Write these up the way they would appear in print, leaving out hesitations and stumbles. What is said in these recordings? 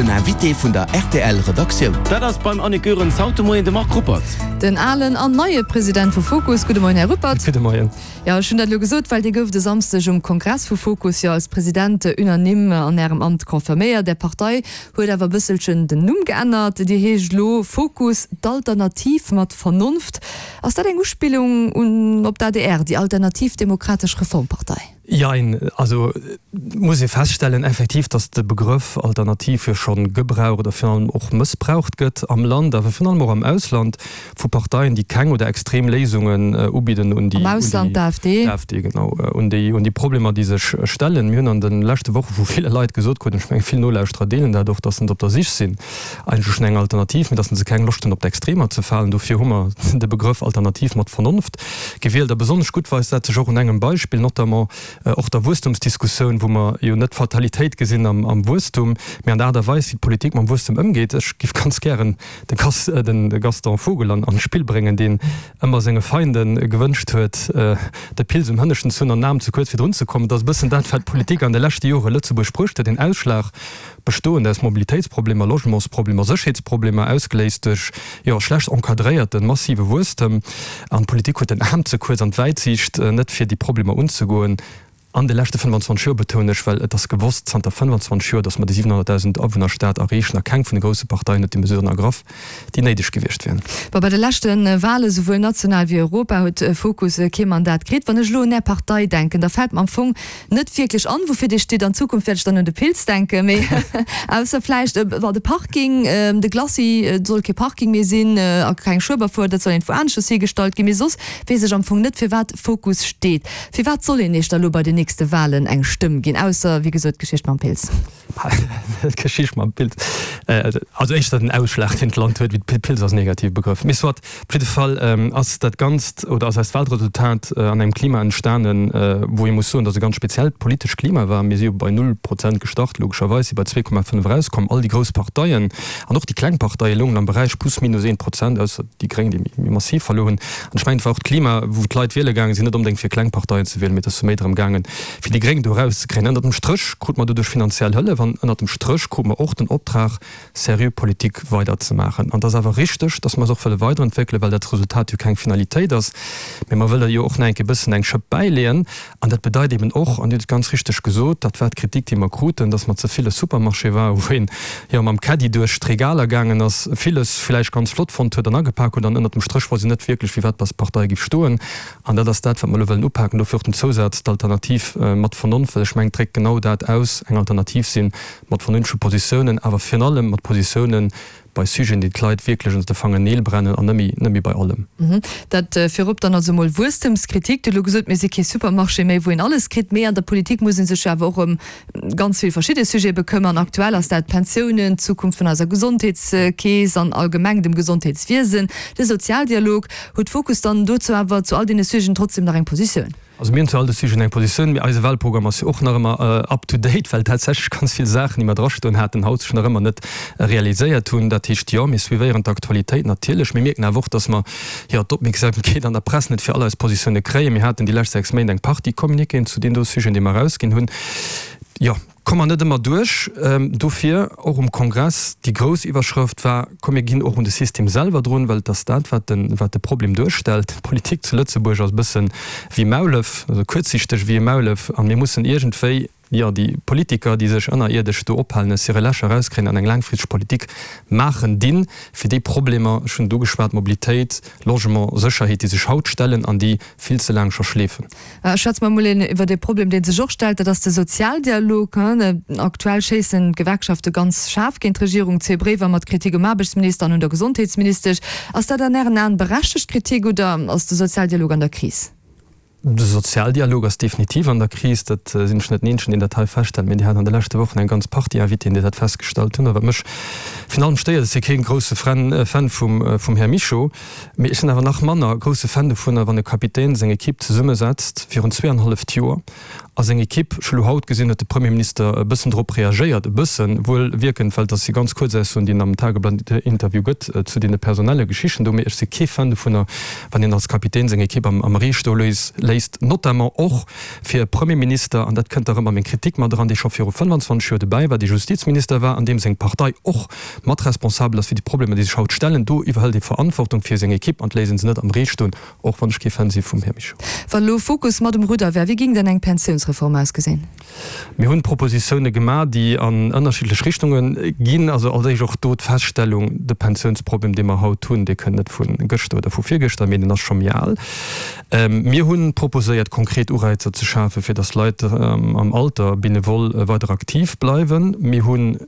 Den Invité vun der rtl Redaktioun. Dat ass beim Annick Goerens haut de Moien de Marc Ruppert. Den alen an neie President vu Fokus. Gudde Moien, Här Ruppert. Gudde Moien. Jo, ech hunn dat elo gesot, well Dir gouft e Samsdeg um Kongress vu Fokus jo als President unanime an Ärem Amt confirméiert. Är Partei huet awer e bësselchen den Numm geännert. Dir heescht elo Fokus, d'Alternativ mat Vernonft. Ass dat eng Uspillung un op d'ADR, déi Alternativ Demokratesch Reformpartei? Jein, also et muss ee feststellen effektiv, datt de Begrëff Alternativ jo schonn gebraucht a virun allem och mëssbraucht gëtt am Land, awer virun allem och am Ausland vu Parteien, déi keng oder extrem Léisungen ubidden un déi, Am Ausland d'AfD. d'AfD, genau, un déi, un déi Problemer, déi sech stellen. Mir hunn an de leschte Woche vu ville Leit gesot krut, an ech menge vill Nolauschterer deelen dat och, datt se op der Sich sinn eigentlech no enger Alternativ, mee datt se keng Loscht hunn op d'Extremer ze falen. Dofir hu mer de Begrëff Alternativ mat Vernonft Gewielt. A besonnesch gutt weist dat sech och un engem Beispill, notamment och der Wuesstumsdiskussioun, wou mer jo net d'Fatalitéit gesinn am Wuesstum, mä an der Aart a Weis, wéi d'Politik mam Wuesstum ëmgeet. Ech géif ganz gären de Gaston Vogel an d'Spill bréngen, deen ëmmer senge Feinde gewënscht huet, de Pils um Hënneschten ze hunn an den Aarm ze kuerz fir drun ze kommen. Dat ass e bëssen dat, wat d'Politik an de leschte Jore Lëtzebuerg bruecht huet, een Ausschlag bestoend aus Mobilitéitsproblemer, Logementsproblemer, Sécherheetsproblemer, ausgeléist duerch, jo, schlecht encadréierten, massive Wuesstem. An d'Politik huet den Aarm ze kuerz an d'Wäitsiicht net, fir déi Problemer unzegoen. An de leschte 25 Joer, betounen ech, well et ass gewosst zanter 25 Joer, datt mer déi 700.000 Awunnerstad erreechen a keng vun de grousse Parteien huet déi Mesuren ergraff, déi néideg gewiescht wieren. Bon, bei de leschte Wale souwuel national wéi Europa huet Fokus kee Mandat kritt. Wann ech elo un Är Partei denken, da fält mer am Fong Net wierklech an, woufir dee steet. An Zukunft wäert ech dann un de Pilz denken, mee ausser vläicht bon, de Parking, de Glacis, et soll kee Parking méi sinn a keng Schueberfuer, dat soll iergendwou aneschters hiergestallt ginn. Mee soss weess ech am Fong net, firwat Fokus steet. Firwat soll een Iech da lo bei den nächste Walen eng Stëmm ginn, ausser, wéi gesot, d'Geschicht mam Pilz? D'Geschicht mam Pilz, also éischter den Ausschlag, deen d'Land huet, wéi de Pilz ass en negative Begrëff. Mee soit, op jidde Fall ass dat Ganzt oder ass eist Wahlresultat an engem Klima entstanen, wou ee muss soen, datt e ganz speziellt politescht Klima war. Mir si jo bei null Prozent gestart, logescherweis, si bei 2,5 erauskomm. All déi grouss Parteien an och déi kleng Parteie loungen am Beräich plus minus een Prozent, ausser déi Gréng, déi méi massiv verluer hunn. An ech mengen, et war och d'Klima, wou d'Leit wiele gaange sinn, net onbedéngt fir kleng Parteien ze wielen, mee et ass jo méi drëm gaangen, fir déi Gréng do erauszekréien. Ënnert dem Stréch krute mer doduerch finanziell Hëllef an ënnert dem Stréch krute mer och den Optrag, seriö Politik weiderzemaachen. An et ass awer richteg, dass mer se och wëlle weiderentwéckelen, well dat Resultat jo keng Finalitéit ass, mä mer wëlle jo och nach eng Kéier e bëssen eng Schëpp bäileeën. An dat bedeit eben och, an Dir hutt et ganz richteg gesot, dat war d'Kritik, déi mer kruten, dass mer ze vill e Supermarché waren, wou een jo mam Caddie duerch d'Regaler gaangen ass, villes vläicht ganz flott fonnt huet an agepak huet an ënnert dem Stréch wosst een net wierklech, fir wat dass d'Partei géif stoen. An dat ass dat, wat mer elo wëllen upaken. Dofir och den Zousaz, d'Alternativ mat Vernonft, well ech mengen, et dréckt genau dat aus, eng Alternativ sinn mat vernünftege Positiounen, awer virun allem mat Positiounen bei Sujeten, déi d'Leit wierklech ënner de Fangerneel brennen an net méi, net méi bei allem. Dat virop dann also emol Wuesstemskritik. Dir hutt elo gesot, mir si kee Supermarché méi, wou een alles kritt, mee an der Politik muss ee sech jo awer och ëm ganz vill verschidde Sujete bekëmmern. Aktuell ass dat d'Pensiounen, d'Zukunft vun eiser Gesondheetskeess an allgemeng dem Gesondheetswiesen, de Sozialdialog. Huet Fokus dann dozou awer zu all deene Sujeten trotzdem nach eng Positioun? Also mir hunn zu all de Sujeten eng Positioun, mee eise Wahlprogramm ass jo och nach ëmmer up to date, well tatsächlech ganz vill Saachen, déi mer drastoen haten, haut sech nach ëmmer net realiséiert hunn. Dat heescht, jo, mir suivéieren d'Aktualitéit natierlech. Mir mierken awer och, dass mer, jo, d'Opmierksamkeet an der Press net fir all eis Positioune kréien. Mir haten déi lescht 6 Méint eng Partie Communiquéen zu deenen do Sujeten, déi mer erausginn hunn. Jo, komme mer net ëmmer duerch. Dofir och um Kongress déi grouss Iwwerschrëft war, Komm mir ginn och un de System selwer drun, well et ass dat, wat de, wat de Problem duerstellt. D'Politik zu Lëtzebuerg ass e bësse wéi Maulef, also kuerzsichteg wéi e Maulef, a mir mussen iergendwéi, jo, déi Politiker, déi sech ënnerierdesch do ophalen, aus hire Lächer erauskréien an eng laangfristeg Politik maachen dinn, fir déi Problemer, ech hunn et ugeschwat, Mobilitéit, Logement, Sécherheet, déi sech haut stellen an déi vill ze laang scho schleefen. Schwätze mer emol een iwwert ee Problem, dee sech och stellt, dat ass de Sozialdialog. Aktuell schéissen d'Gewerkschafte ganz schaarf géint d'Regierung, zwee Bréiwer mat Kritik um Aarbechtsminister an un der Gesondheetsministesch. Ass dat an Ären Aen berechtegt Kritik oder ass de Sozialdialog an der Kris? De Sozialdialog ass definitiv an der Kris. Dat sinn ech net den Eenzegen, deen dat hei feststellt, mee Dir hat an de leschte Wochen eng ganz Partie Invitéen, déi dat festgestallt hunn. A wat mech virun allem stéiert, ech si kee grousse Fan vum Här Mischo, Mee ech sinn awer nach manner grousse Fan dovunner, wann e Kapitän seng Ekipp zesummesetzt virun zweeanhalleft Joer. A seng Ekipp, ech hu lo haut gesinn, huet de Premierminister e bëssen drop reagéiert, e bëssen, wuel wierkend, well dass si ganz kuerz Aussoen, déi en am Tageblatt-Interview gëtt, zu deene personelle Geschichten do. Mee ech si kee Fan dovunner, wann een als Kapitän seng Ekipp am Ree stoe léisst, notamment och fir e Premierminister, an dat kënnt da rëm a meng Kritik mat eran, dee scho viru 25 Joer dobäi war, dee Justizminister war, an deem seng Partei och mat responsabel ass fir déi Problemer, déi sech haut stellen. Do iwwerhëlt ee Verantwortung fir seng Ekipp an d'léisst en se net am Ree stoen. Och wann ech kee Fan si vum Här Mischo. Wann elo Fokus mat um Rudder wär, wéi ging dann eng Pensiounsreform ausgesinn? Mir hunn Propositioune gemaach, déi an ënnerschiddlech Richtunge ginn. Also als éischt och do d'Feststellung, de Pensiounsproblem, dee mer haut hunn, dee kënnt net vu gëschter oder vu virgëschter, mee deen ass scho méi al. Mir hu proposéiert, konkret Ureizer ze schafen, fir datt Leit am Alter benevol weider aktiv bleiwen. Mir hunn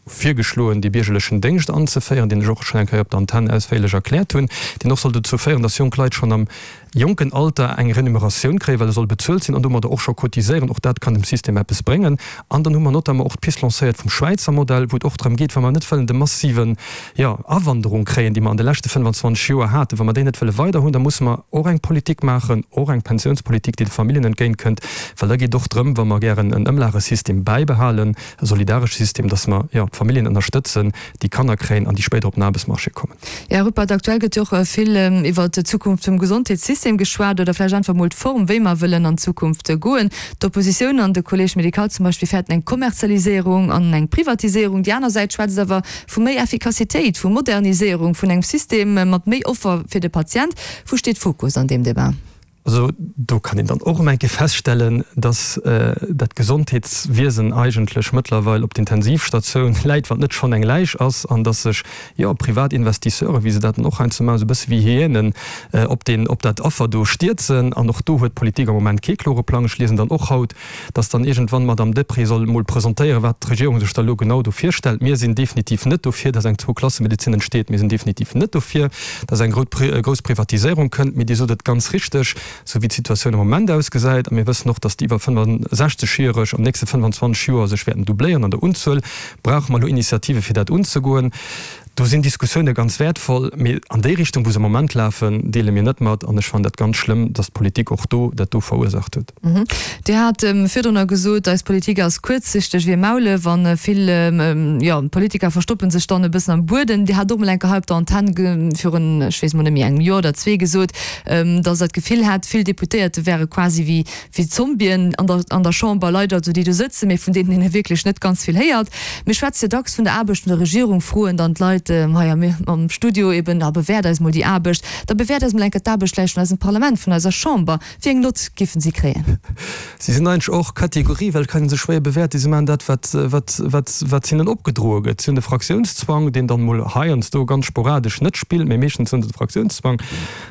virgeschloen, dee biergerlechen Déngscht anzeféieren, deen ech och schonn eng Kéier op der Antenn ausféierlech erkläert hunn, deen och soll dozou féieren, dass jonk Leit schonn am jonken Alter eng Renumeratioun kréien, well e soll bezuelt sinn an domadder och scho cotiséieren. Och dat kann dem System eppes bréngen. An dann hu mer notamment och d'Pist lancéiert vum Schwäizer Modell, wou et och drëm geet, wa mer net wëllen de massiven, jo, Awanderung kréien, déi mer an de leschte 25 Joer haten, wa mer déi net wëlle weider hunn, da musse mer och eng Politik maachen, och eng Pensiounspolitik, déi de Familljen entgéintkënnt, well da geet et och drëm, wa mer gären en Ëmlagesystem bäibehalen, e solidaresche System, dass mer, jo, d'Familljen ënnerstëtzen, déi Kanner kréien an déi spéider op den Aarbechtsmarché kommen. Här Ruppert, aktuell gëtt jo och vill iwwert d'Zukunft vum Gesondheetssystem geschwat oder vläicht einfach mol d'Form, wéi mer wëllen an d'Zukunft goen. D'Oppositioun an de Collège médical zum Beispill fäerten eng Kommerzialiséierung an eng Privatiséierung. Déi aner Säit schwätzt awer vu méi Effikassitéit, vu Moderniséierung, vun engem System mat méi Offer fir de Patient. Wou steet Fokus an deem Débat? Also do kann een dann och erëm eng Kéier feststellen, dass dat Gesondheetswiesen eigentlech mëttlerweil op d'Intensivstatioun läit, wann et net schonn eng Läich ass, an dass sech, jo, privat Investisseuren, wéi se dat dann och heiansdo maachen, esou e bësse wéi Hyänen op deen, op dat Affer do stierzen. An och do huet d'Politik am Moment kee klore Plang. Ech liesen dann och haut, dass dann iergendwann d'Madame Deprez soll emol presentéieren, wat d'Regierung sech da elo genau do virstellt. Mir sinn definitiv net dofir, dass eng Zwouklassemedezin entsteet. Mir sinn definitiv net dofir, dass eng grouss Privatiséierung kënnt. Mee Dir sot et ganz richteg, esou wéi d'Situatioun am Moment ausgesäit, a mir wëssen och, dass déi iwwer 65 Jähreg an den nächste 25 Joer sech wäerten doubléieren an der Unzuel, brauche mer elo Initiative fir dat unzegoen. Do sinn Diskussioune ganz wäertvoll, mee an déi Richtung, wou se am Moment lafen, deele mir net mat. An ech fannen dat ganz schlëmm, datt d'Politik och do dat do verursaacht huet. Dir hat virdrunner gesot, eis Politik ass kuerzsichteg wéi e Maulef an vill, jo, Politiker verstoppe sech dann e bëssen am Buedem. Dir hat och mol eng Kéier hei op der Antenn virun, ech weess mol net méi, engem Joer oder zwee gesot, datt Der d'Gefill hat, vill Deputéierte wäre quasi wéi wéi Zombien an der an der Chamber, Leit also déi do sëtzen, mee vun deenen een wierklech net ganz vill héiert. Mir schwätze jo dacks vun der Aarbecht vun der Regierung, froen dann d'Leit hei am am Studio eben, a bewäert eis mol déi Aarbecht, da bewäert eis mol eng Kéier d'Aarbecht vläicht vun eisem Parlament, vun eiser Chamber. Wéi eng Nott giffen si kréien? Si sinn eigentlech och Kategorie, well et kann ee se schwéier bewäerten. Si maachen dat, wat wat wat wat hinnen opgedroe gëtt. Si hunn de Fraktiounszwang, deen dann mol heiansdo ganz sporadesch net spillt, mee meeschtens hunn se de Fraktiounszwang.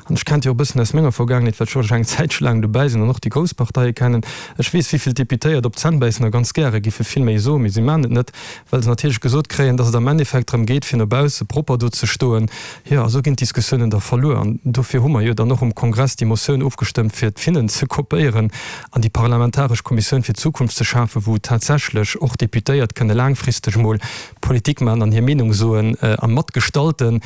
An ech kennt jo och e bëssen aus menger Vergaangenheet, well ech och eng Zäitche laang dobäi sinn an och déi grouss Parteie kennen. Ech weess, wéi vill Deputéiert op d'Zänn bäissen a ganz gäre giffe vill méi soen, mee si maachen et net, well se natierlech gesot kréien, dass et am Endeffekt drëm geet, fir no bausse propper do ze stoen. Jo, a sou ginn d'Diskussiounen da verluer. An dofir hu mer jo dann och um Kongress déi Motioun ofgestëmmt, fir d'Finnen ze kopéieren an déi parlamentaresch Kommissioun fir d'Zukunft ze schafen, wou tatsächlech och Deputéiert kënne laangfristeg emol Politik maachen an hir Meenung soen a matgestalten.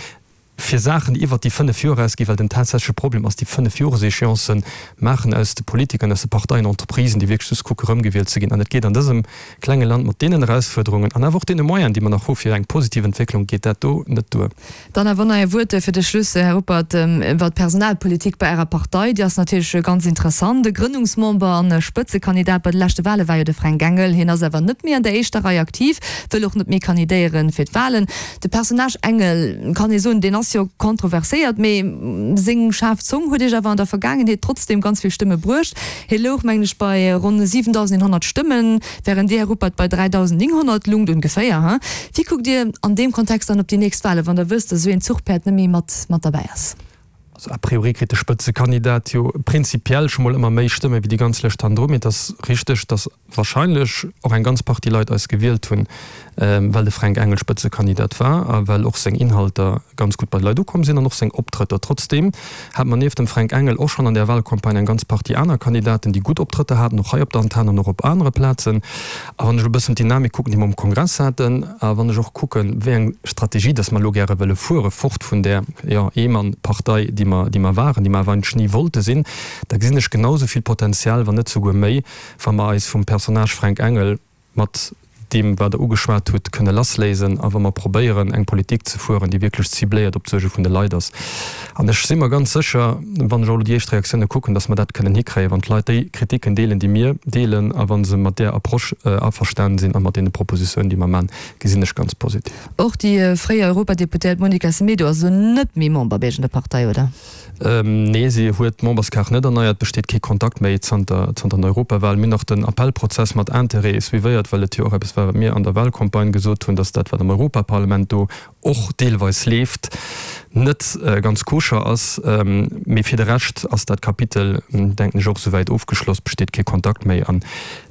fir Saachen, déi iwwert déi 5 Joer erausginn, well den tatsächleche Problem ass, déi 5 Joreséchéancen maachen aus de Politikern, aus de Parteien Entreprisen, déi wierklech just kucke rëmgewielt ze ginn. An et geet an dësem klenge Land mat deenen Erausfuerderungen an awer och deene Moyenen, déi mer nach hu fir eng positiv Entwécklung, geet dat do net duer. Dann awer nach ee Wuert fir de Schluss, Här Ruppert, iwwert d'Personalpolitik bei Ärer Partei. Déi ass natierlech ganz interessant. E Grënnungsmember an Spëtzekandidat bei de leschte Wale war jo de Fränk Engel. Hien ass awer net méi an der éischter Rei aktiv, wëll och net méi kandidéiere fir d'Walen. De Personnage Engel, kann ee soen, deen ass jo kontroverséiert, mee seng schaarf Zong huet Iech awer an der Vergaangenheet trotzdeem ganz vill Stëmme bruecht. Hie louch, mengen ech, bei ronn 7.100 Stëmmen, wärend Dir, Här Ruppert, bei 3.900 lungt, ongeféier, he? Wéi kuckt Dir an deem Kontext dann op déi nächst Walen, wann Der wësst, datt esou een Zuchpäerd net méi mat mat derbäi ass? Also a priori kritt de Spëtzekandidat jo prinzipiell scho mol ëmmer méi Stëmme wéi déi ganz Lëscht hannendru, mee et ass richteg, datt wahrscheinlech och eng ganz Partie Leit eis gewielt hunn. Well de Fränk Engel Spëtzekandidat war a well och seng Inhalter ganz gutt bei de Leit ukomm sinn an och seng Optrëtter. Trotzdeem hat mer nieft dem Fränk Engel och schonn an där Wahlcampagne eng ganz Partie aner Kandidaten, déi gutt Optrëtter haten, och hei op der Antenn an och op anere Plazen. A wann ech elo e bëssen d'Dynamik kucken, déi mer um Kongress haten, a wann ech och kucken, wéi eng Strategie dass mer elo gäre wëlle fuere, fort vun där, jo, Eemann-Partei, déi mer, déi mer waren, déi mer awer eigentlech ni wollte sinn, da gesinn ech genau esou vill Potenzial, wann net souguer méi, wa mer eis vum Personnage Fränk Engel, mat deem, wat Der ugeschwat hutt, kënne lassléisen a wa mer probéieren, eng Politik ze fueren, déi wierklech cibléiert op d'Suerge vun de Leit ass. An ech si mer ganz sécher, wann ech och elo déi éischt Reaktioune kucken, dass mer dat kënnen hikréien, wann d'Leit déi Kritiken deelen, déi mir deelen, a wa se mat där Approche averstanen sinn a mat deene Propositiounen, déi mer maachen, gesinn ech ganz positiv. Och déi fréier Europadeputéiert Monica Semedo ass elo net méi Member bei Iech an der Partei, oder? Nee, si huet d'Memberskaart net erneiert, besteet kee Kontakt méi zanter zanter den Europawahlen. Mir hunn och den Appellprozess mat Interêt suivéiert, well et jo och eppes war, wat mir an der Wahlcampagne gesot hunn, datt dat, wat am Europaparlament do och deelweis leeft, net ganz koscher ass. Mee fir de Rescht ass dat Kapitel, denken ech, och souwäit ofgeschloss, besteet kee Kontakt méi an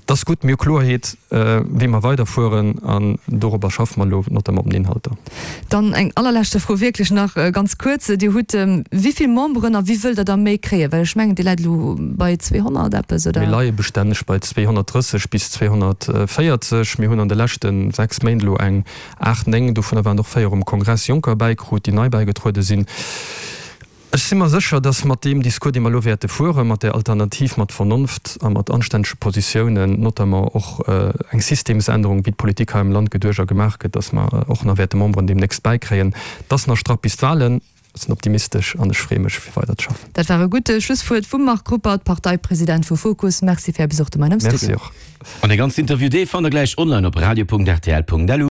Et ass gutt, mir hu Kloerheet, wéi mer weiderfueren, an dorobber schaffe mer elo, notamment op den Inhalter. Dann eng allerleschte Fro, wierklech nach ganz kuerz. Dir hutt wéi vill Memberen a wéi wëllt Der der méi kréien? Well ech mengen, Dir läit elo bei 200 eppes, oder? Mir leie bestänneg bei 230 bis 240. Mir hunn an de leschte 6 Méint elo eng 8, 9, dovunner waren och 4 um Kongress, Jonker bäikrut, déi nei bäigetruede sinn. Ech si mer sécher, dass mat deem Discours, dee mer elo wäerte fueren, mat där Alternativ, mat Vernonft a mat anstännege Positiounen, notamment och eng Systemsännerung, wéi d'Politik hei am Land geduecht a gemaach gëtt, dass mer och nach wäerte Memberen deemnächst bäikréien. Et ass nach strapp bis d'Wahlen. Ech sinn optimistesch an ech freeë mech, fir weider ze schaffen. Dat war e gutt Schlusswuert vum Marc Ruppert, Parteipresident vu Fokus. Merci fir Är Besuch de Moien am Studio. Merci och. An dee ganzen Interview, dee fannt der gläich online op radio.rtl.lu.